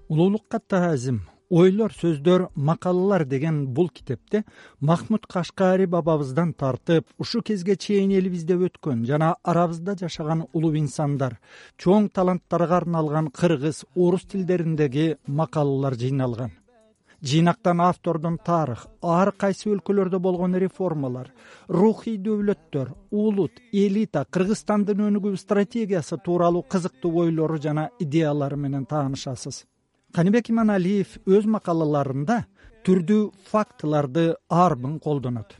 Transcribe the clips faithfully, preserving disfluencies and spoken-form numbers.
Улуулукка таазим, ойлор, сөздөр, макалалар деген бул китепте Махмуд Кашкари бабабыздан тартып, ушу кезге чейин элибизде өткөн жана арабызда жашаган улуу инсандар, чоң таланттарга арналган кыргыз, орус тилдериндеги макалалар жыйналган. Жыйнактан автордун тарых, ар кайсы өлкөлөрдө болгон реформалар, рухий дөөлөттөр, улут, элита, Кыргызстандын өнүгүү стратегиясы тууралуу кызыктуу ойлору жана идеялары менен таанышасыз. Каныбек Иманалиев өз макалаларында түрдүү фактыларды арбын колдонот.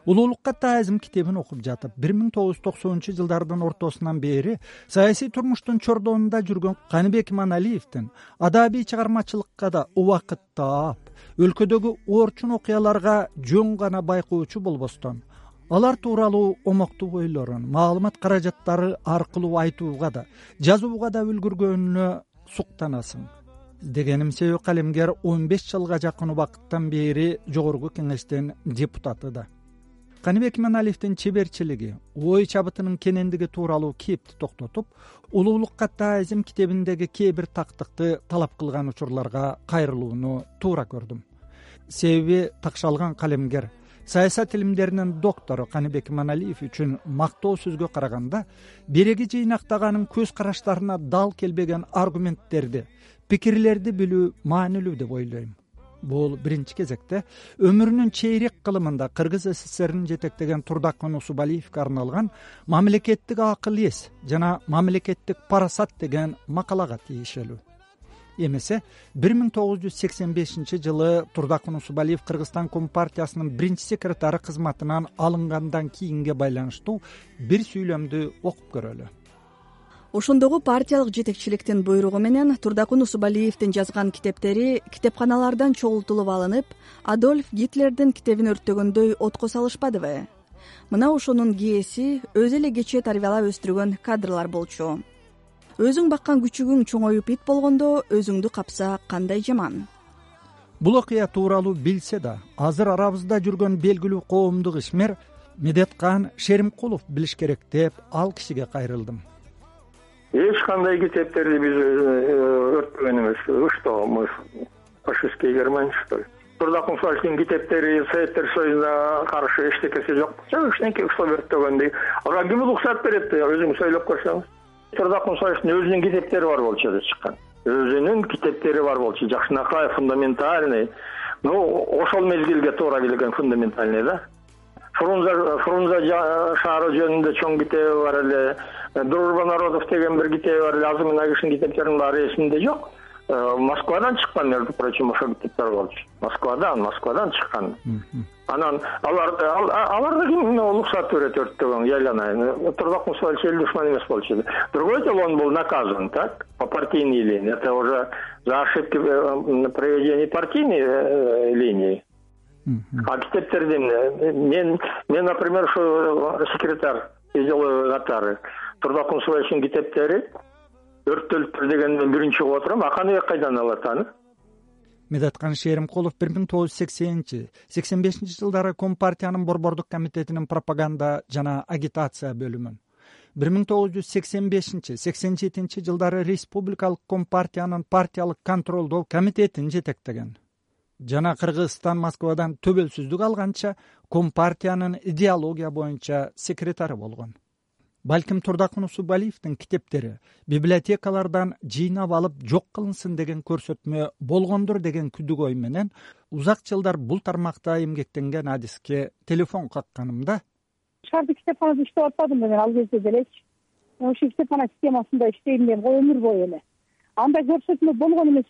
Улуулукка таазим китебин окуп жатып, бир миң тогуз жүз токсонунчу жылдардын ортосунан бери саясий турмуштун чордонунда жүргөн Каныбек Иманалиевдин адабий чыгармачылыкка да убакыт таап, өлкөдөгү орчун окуяларга жөн гана байкоочу болбостон, алар тууралуу омоктуу ойлорун маалымат каражаттары аркылуу айтууга да, жазууга да үлгүргөнүнө суктанасың. Дегеним себеби калемгер он беш жылга жакын убакыттан бери жогорку кеңештин депутаты да. Каныбек Иманалиевдин чеберчилиги, ой чабытынын кенендиги тууралуу кепти токтотуп, улуулукка таазим китебиндеги кээ бир тактыкты талап кылган учурларга кайрылууну туура көрдүм. Себеби такшалган калемгер, саясат илимдеринин доктору Каныбек Иманалиев үчүн мактоо сөзгө караганда береги жыйнактаганын көз караштарына дал келбеген аргументтерди, пикирлерди билүү маанилүү деп ойлойм. Бул биринчи кезекте өмүрүнүн чейрек кылымында Кыргыз СССРин жетектеген Турдакман Усубалиевге арналган мамлекеттик акыл эс жана мамлекеттик парасат деген макалага тийишелүү. Эмесе бир миң тогуз жүз сексен бешинчи жылы Турдакман Усубалиев Кыргызстан Компартиясынын биринчи секретары кызматынан алынгандан кийинге байланыштуу бир сүйлөмдү окуп көрөлү. Ошондогу партиялык жетекчиликтин буйругу менен Турдакман Усубалиевдин жазган китептери китепканалардан чогултулуп алынып, Адольф Гитлердин китебин өрттөгөндөй отко салышпадыбы? Мына ошонун кээси өзү эле кечээ тарбиялап өстүргөн кадрлар болчу. Өзүң баккан күчүгүң чоңоюп ит болгондо өзүңдү капса кандай жаман. Бул окуя тууралуу билсе да, азыр арабызда жүргөн белгилүү коомдук ишмер Медеткан Шеримкулов билиш керек деп ал кишиге кайрылдым. Эч кандай китептерди биз өрттөгөн эмес. Что мы фашистские Германия, что ли? Турдакман Усубалиевдин китептери Советтер Союзуна каршы эчтекеси жок. Эчтеке уктап өрттөгөндөй. Ага ким уруксат берет? Өзүңүз ойлоп көрсөңүз. Турдакман Усубалиевдин өзүнүн китептери бар болчу деп чыккан. Өзүнүн китептери бар болчу. Жакшынакай, фундаментальный. Ну, ошол мезгилге туура келген фундаментальный да. Фрунзе Фрунзе шаары жөнүндө чоң китеби бар эле. Дружба народов деген бир китеби бар эле. Азым Нагишин китептеринин баары эсимде жок. Москвадан чыккан, между прочим, ошол китептер болчу. Москвадан, Москвадан чыккан. Анан алар аларды ким уруксат берет өрттөгөн, яйланайын. Турдакман Усубалиев эл душман эмес болчу. Другой дело, он был наказан, так, по партийной линии. Это уже за ошибки в проведении партийной линии. А китептердин мен, мен, например, что секретарь делаю нотары. Турдакман Усубалиевдин китептери өрттөлүптүр дегенден биринчи угуп отурам. А Каныбек кайдан алат аны? Медеткан Шеримкулов бир миң тогуз жүз сексенинчи сексен бешинчи жылдары Компартиянын Борбордук комитетинин пропаганда жана агитация бөлүмүн, бир миң тогуз жүз сексен бешинчи сексен жетинчи жылдары Республикалык Компартиянын партиялык контролдоо комитетин жетектеген жана Кыргызстан Москвадан төбөлсүздүк алганча Компартиянын идеология боюнча секретары болгон. Балким Турдакман Усубалиевдин китептери библиотекалардан жыйнап алып жок кылынсын деген көрсөтмө болгондур деген күдүк ой менен узак жылдар бул тармакта эмгектенген адиске телефон какканымда шаардык китепканада иштеп атпадым мен ал кезде делечи. Ошо китепкана системасында иштейм мен өмүр бою эле. Андай көрсөтмө болгон эмес,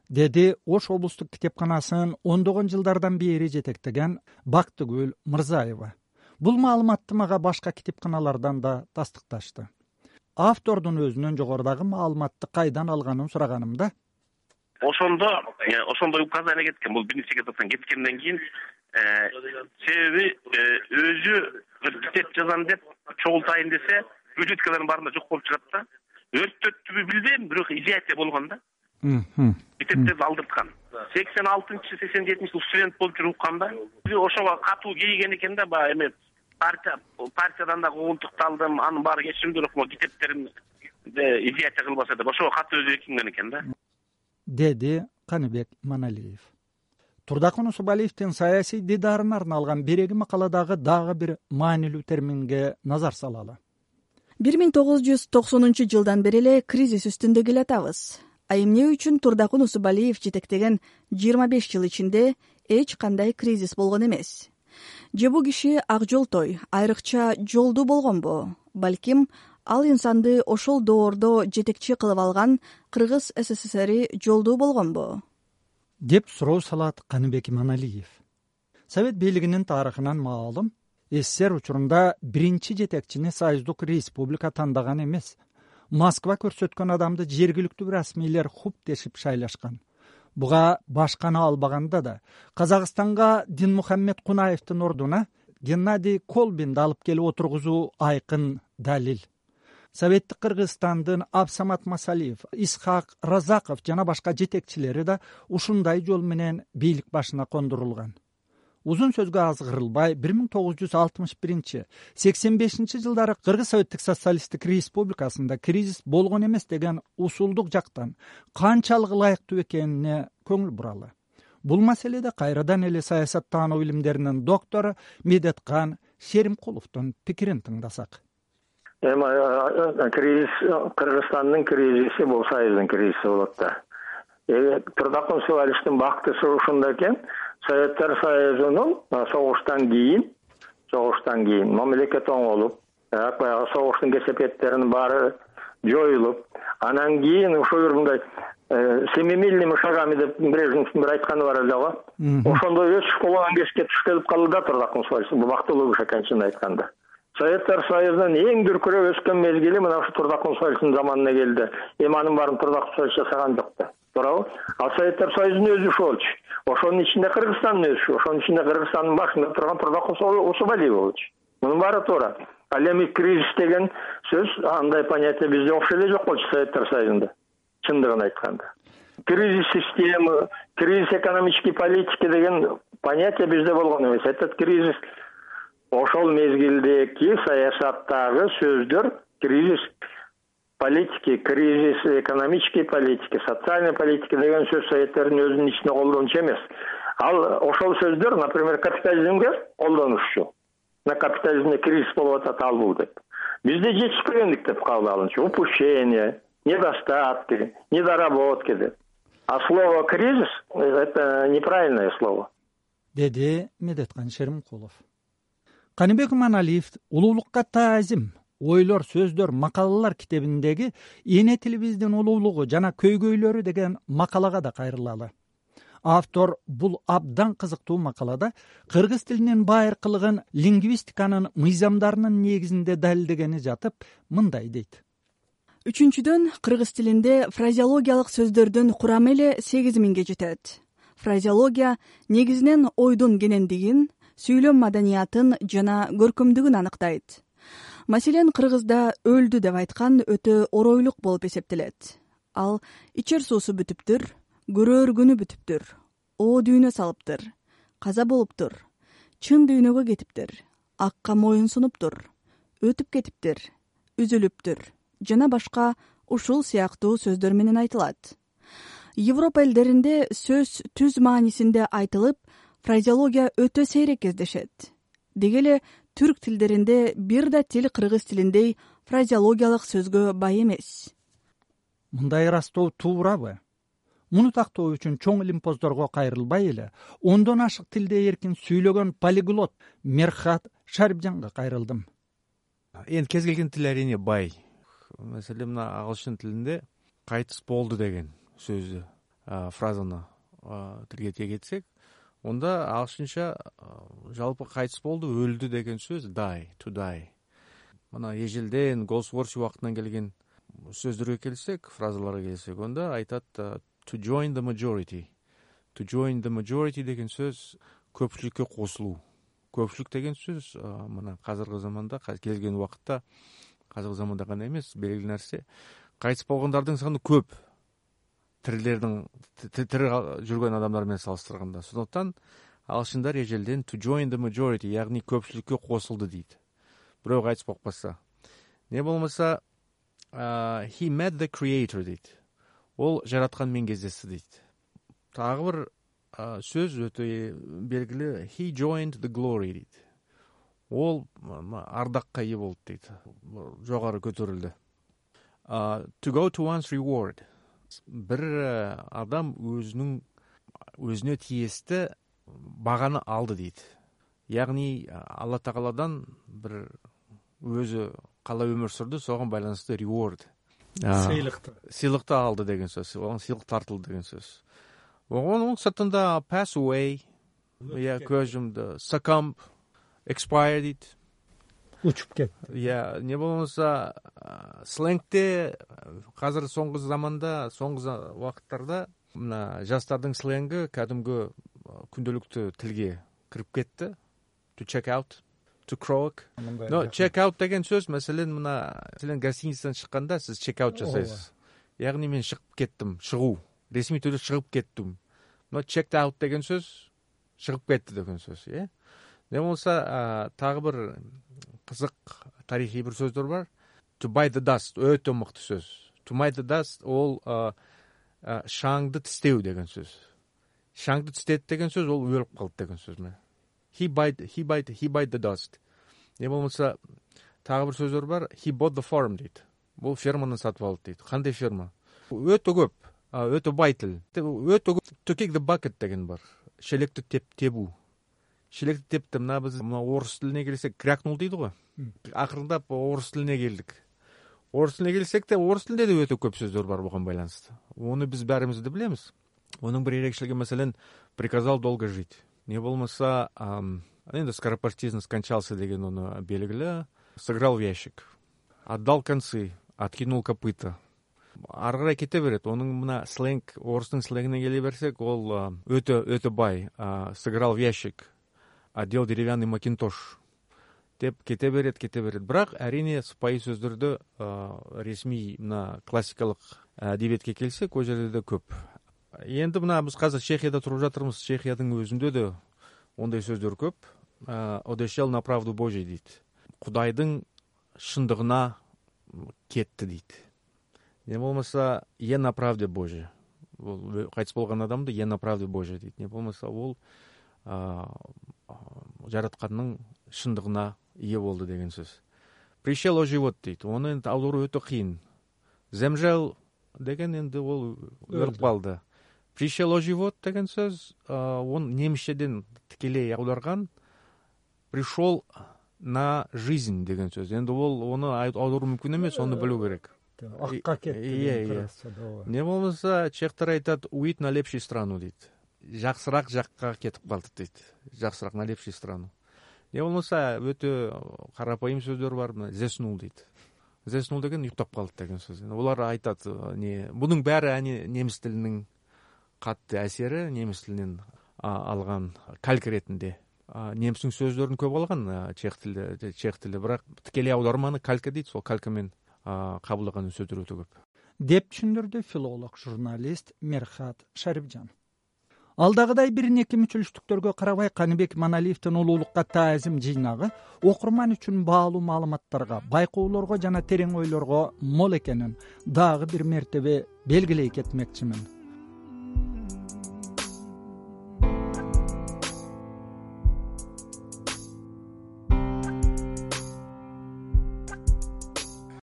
деди Ош облустук китепканасын ондогон жылдардан бери жетектеген Бактыгүл Мырзаева. Бул маалыматты мага башка китепканалардан да тастыкташты. Автордун өзүнөн жогорудагы маалыматты кайдан алганын сураганымда ошондо ошондой указание кеткен. Бул биринчи секретардан кеткенден кийин себеби өзү китеп жазам деп чогултайын десе бюджеткалардын баарында жок болуп чыгат да. Өрттөттүбү билбейм, бирок изяция болгон да. Китептерди алдырткан. сексен алтынчы сексен жетинчи жыл студент болуп жүрүп укканда ошого катуу кейген экен да, баягы эме партия партиядан да куугунтукталдым, анын баары кечиримдүү, бирок могу китептерим изяция кылбаса деп ошого катуу өзү экинген экен да. деди Каныбек Маналиев. Турдакун Усубалиевдин саясий дидарына арналган биреги макаладагы дагы бир маанилүү терминге назар салалы. бир миң тогуз жүз токсонунчу жылдан бери эле кризис үстүндө келатабыз. А эмне үчүн Турдакун Усубалиев жетектеген жыйырма беш жыл ичинде эч кандай кризис болгон эмес? Же бул киши ак жолтой, айрыкча жолдуу болгонбу? Балким ал инсанды ошол доордо жетекчи кылып алган Кыргыз СССРи жолдуу болгонбу? деп суроо салат Каныбек Маналиев. Совет бийлигинин тарыхынан маалым, СССР учурунда биринчи жетекчини Союздук Республика тандаган эмес. Москва көрсөткөн адамды жергиликтүү расмийлер хуптешип шайлашкан. Буга башканы албаганда да Казакстанга Динмухаммед Кунаевдин ордуна Геннадий Колбинди алып келип отургузуу айкын далил. Советтик Кыргызстандын Абсамат Масалиев, Исхак Разаков жана башка жетекчилери да ушундай жол менен бийлик башына кондурулган. Узун сөзгө азгырылбай, бир миң тогуз жүз алтымыш биринчи сексен бешинчи жылдары Кыргыз Советтик Социалисттик Республикасында кризис болгон эмес деген усулдук жактан канчалык ылайыктуу экенине көңүл буралы. Бул маселеде кайрадан эле саясаттануу илимдеринин доктору Медеткан Шеримкуловдун пикирин тыңдасак. Эми кризис Кыргызстандын кризиси бул Союздун кризиси болот да. Турдакун Усубалиевдин бактысы ушунда экен. Советтер Союзунун согуштан кийин, согуштан кийин мамлекет оңолуп, баягы согуштун кесепеттеринин баары жоюлуп, анан кийин ушул мындай семимильными шагами деп Брежневдин бир айтканы бар эле го. Ошондой өсүш болгон кезге туш келип калды да Турдакун Усубалиев. Бул бактылуу киши экен чынын айтканда. Советтер Союзунун эң дүркүрөп өскөн мезгили мына ушу Турдакун Усубалиевдин заманына келди. Эми анын баарын Турдакун Усубалиев жасаган жок да. Туурабы? Ал Советтер Союзунун өзүшү болчу. Ошонун ичинде Кыргызстандын өсүшү, ошонун ичинде Кыргызстандын башында турган Турдакун Усубалиев болчу. Мунун баары туура. Ал эми кризис деген сөз андай понятие бизде окшой эле жок болчу Советтер Союзунда. Чындыгын айтканда. Кризис системы, кризис экономической политики деген понятие бизде болгон эмес. Этот кризис ошол мезгилдеги саясаттагы сөздөр кризис политики, кризис экономической политики, социальной политики деген сөз Советтердин өзүнүн ичинде колдончу эмес. Ал ошол сөздөр, например, капитализмге колдонушчу. На капитализмде кризис болуп атат ал бул деп. Бизде жетишпегендик деп кабыл алынчу. Упущение, недостатки, недоработки деп. А слово кризис это неправильное слово. Деди Медеткан Шеримкулов. Каныбек Маналиев улуулукка таазим, ойлор, сөздөр, макалалар китебиндеги эне тилибиздин улуулугу жана көйгөйлөрү деген макалага да кайрылалы. Автор бул абдан кызыктуу макалада кыргыз тилинин байыркылыгын лингвистиканын мыйзамдарынын негизинде далилдегени жатып, мындай дейт. Үчүнчүдөн, кыргыз тилинде фразеологиялык сөздөрдүн курамы эле сегиз миңге жетет. Фразеология негизинен ойдун кенендигин, сүйлөм маданиятын жана көркөмдүгүн аныктайт. Маселен, кыргызда өлдү деп айткан өтө оройлук болуп эсептелет. Ал ичер суусу бүтүптүр, көрөр күнү бүтүптүр, оо дүйнө салыптыр, каза болуптур, чын дүйнөгө кетиптир, акка моюн сунуптур, өтүп кетиптир, үзүлүптүр жана башка ушул сыяктуу сөздөр менен айтылат. Европа элдеринде сөз түз маанисинде айтылып, фразеология өтө сейрек кездешет. Деги эле түрк тилдеринде бир да тил кыргыз тилиндей фразеологиялык сөзгө бай эмес. Мындай ырастоо туурабы? Муну тактоо үчүн чоң илимпоздорго кайрылбай эле, ондон ашык тилде эркин сүйлөгөн полиглот Мерхат Шарипжанга кайрылдым. Эми кез келген тил әрине бай. Маселен, мына агылшын тилинде кайтыс болду деген сөздү, фразаны тилге тиек этсек, онда агылшынча жалпы кайтыс болду, өлдү деген сөз die, to die. Мына ежелден Голсворси убактынан келген сөздөргө келсек, фразаларга келсек, онда айтат to join the majority. To join the majority деген сөз көпчүлүккө кошулуу. Көпчүлүк деген сөз мына азыркы заманда, келген убакытта, азыркы заманда гана эмес, белгилүү нерсе, кайтыс болгондордун саны көп. Тирилердин тири жүргөн адамдар менен салыштырганда. Сондуктан агылшындар ежелден to join the majority, ягни көпчүлүккө кошулду дейт. Бирөө кайтыс болуп калса. Не болмаса he met the creator дейт. ол жараткан менен кездешти дейт. Дагы бир сөз өтө белгилүү, he joined the glory дейт. Ол ардакка ээ болду дейт, жогору көтөрүлдү. To go to one's reward. Бир адам өзүнүн өзүнө тиесті баганы алды дейт. Ягни Алла Тааладан бир өзү калай өмүр сүрдү, согон байланыштуу reward, сыйлыкты сыйлыкты алды деген сөз. Оған сыйлык тартылды деген сөз. Онун сыртында pass away, я көз жумду, succumb, expire дейт. учуп кетти. Я не болмаса сленгте азыр соңку заманда, соңку убакыттарда мына жастардын сленги кадимги күндөлүктүү тилге кирип кетти. To check out, to croak. Но check out деген сөз, маселен, мына силен гостиницадан чыкканда сиз check out жасайсыз. Ягни мен чыгып кеттим, чыгуу. Ресми түрдө чыгып кеттим. Но checked out деген сөз чыгып кетти деген сөз, э? Не болса, тагы бир кызык тарихий бир сөздөр бар. To bite the dust өтө мыкты сөз. To bite the dust ол шаңды тистеу деген сөз. Шаңды тистет деген сөз ол өлүп калды деген сөз. He bite, he bite, he bite the dust. Не болмаса, тагы бир сөздөр бар. He bought the farm дейт. Бул ферманы сатып алды дейт. Кандай ферма? Өтө көп, өтө бай тил. Өтө көп. To kick the bucket деген бар. Шелекти теп тебүү. Шелекти тепти, мына биз мына орус тилине келсек, крякнул дейди го. Акырындап орус тилине келдик. Орус тилине келсек де, орус тилинде да өтө көп сөздөр бар буга байланыштуу. Оны биз баарыбыз да билебиз. Онун бир ерекшелиги, маселен, приказал долго жить. Не болмаса, енді скоропостижно скончался деген оны белгілі. Сыграл в ящик. Отдал концы, откинул копыта. Ары карай кете берет. Оның мына сленг, орыстың сленгіне келе берсек, ол өтө өтө бай. Сыграл в ящик, одел деревянный макинтош деп кете берет, кете берет. Бірақ әрине сыпайы сөздерді ресми мына классикалық әдебиетке келсек, ол жерде де көп. Енді мына біз қазір Чехияда тұрып жатырмыз. Чехиядың өзінде де ондай сөздер көп. Одешел на правду Божий дейді. Құдайдың шындығына кетті дейді. Не болмаса, е на правде Божий. Қайтыс болған адамды е на правде Божий дейді. Не болмаса, ол жаратқанның шындығына ие болды деген сөз. Пришел о живот дейді. Оны енді аудару өте қиын. Земжел деген енді ол өліп қалды. Пришел о живот деген сөз, он немісшеден тікелей аударған, пришел на жизнь деген сөз. Енді ол оны аудару мүмкін емес, оны білу керек. Аққа кетті. Не болмаса, чехтар айтады, уйт на лепший страну дейді. Жақсырақ жаққа кетіп қалды дейді. Жақсырақ на лепший страну. Не болмаса, өте қарапайым сөздер бар, зеснул дейді. Зеснул деген ұйықтап қалды деген сөз. Олар айтады, бұның бәрі неміс тілінің қатты әсері, неміс тілінен алған калька ретінде. Немістің сөздерін көп алған чех тілі, чех тілі, бірақ тікелей аударманы калька дейді, сол калькамен қабылдаған сөздер өте көп. Деп түшүндүрдү филолог, журналист Мерхат Шарипжан. Алдагыдай бир неке мүчүлүштүктөргө карабай Каныбек Маналиевдин улуулукка таазим жыйнагы окурман үчүн баалуу маалыматтарга, байкоолорго жана терең ойлорго мол экенин дагы бир мертебе белгилей кетмекчимин.